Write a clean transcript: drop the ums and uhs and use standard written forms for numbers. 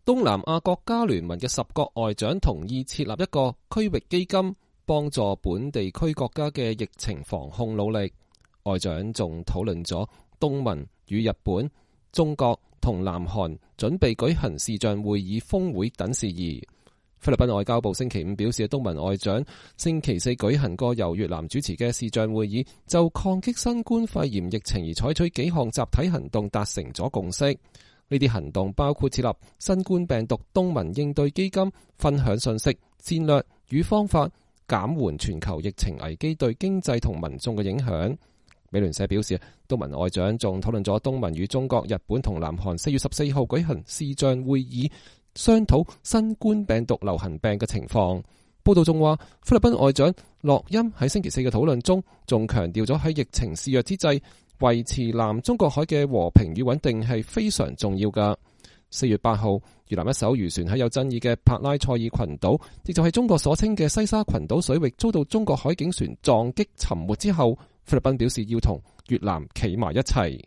東南亞國家聯盟嘅10國外長同意設立一個區域基金，幫助本地區國家嘅疫情防控努力。外長仲討論咗東盟與日本、中國同南韓準備舉行視像會議峰會等事宜。菲律賓外交部星期五表示，東盟外長星期四舉行過由越南主持嘅視像會議，就抗擊新冠肺炎疫情而採取幾項集體行動達成咗共識。呢啲行動包括設立新冠病毒東盟應對基金，分享信息、戰略與方法，減緩全球疫情危機對經濟同民眾嘅影響。美聯社表示，東盟外長仲討論咗東盟與中國、日本同南韓4月14號舉行視像會議，商討新冠病毒流行病嘅情況。報道仲話，菲律賓外長洛欽喺星期四嘅討論中，仲強調咗喺疫情肆虐之際，維持南中國海嘅和平與穩定係非常重要㗎。4月8號，越南一艘漁船喺有爭議嘅帕拉塞爾群島，亦就係中國所稱嘅西沙群島水域，遭到中國海警船撞擊沉沒之後，菲律賓表示要同越南企埋一齊。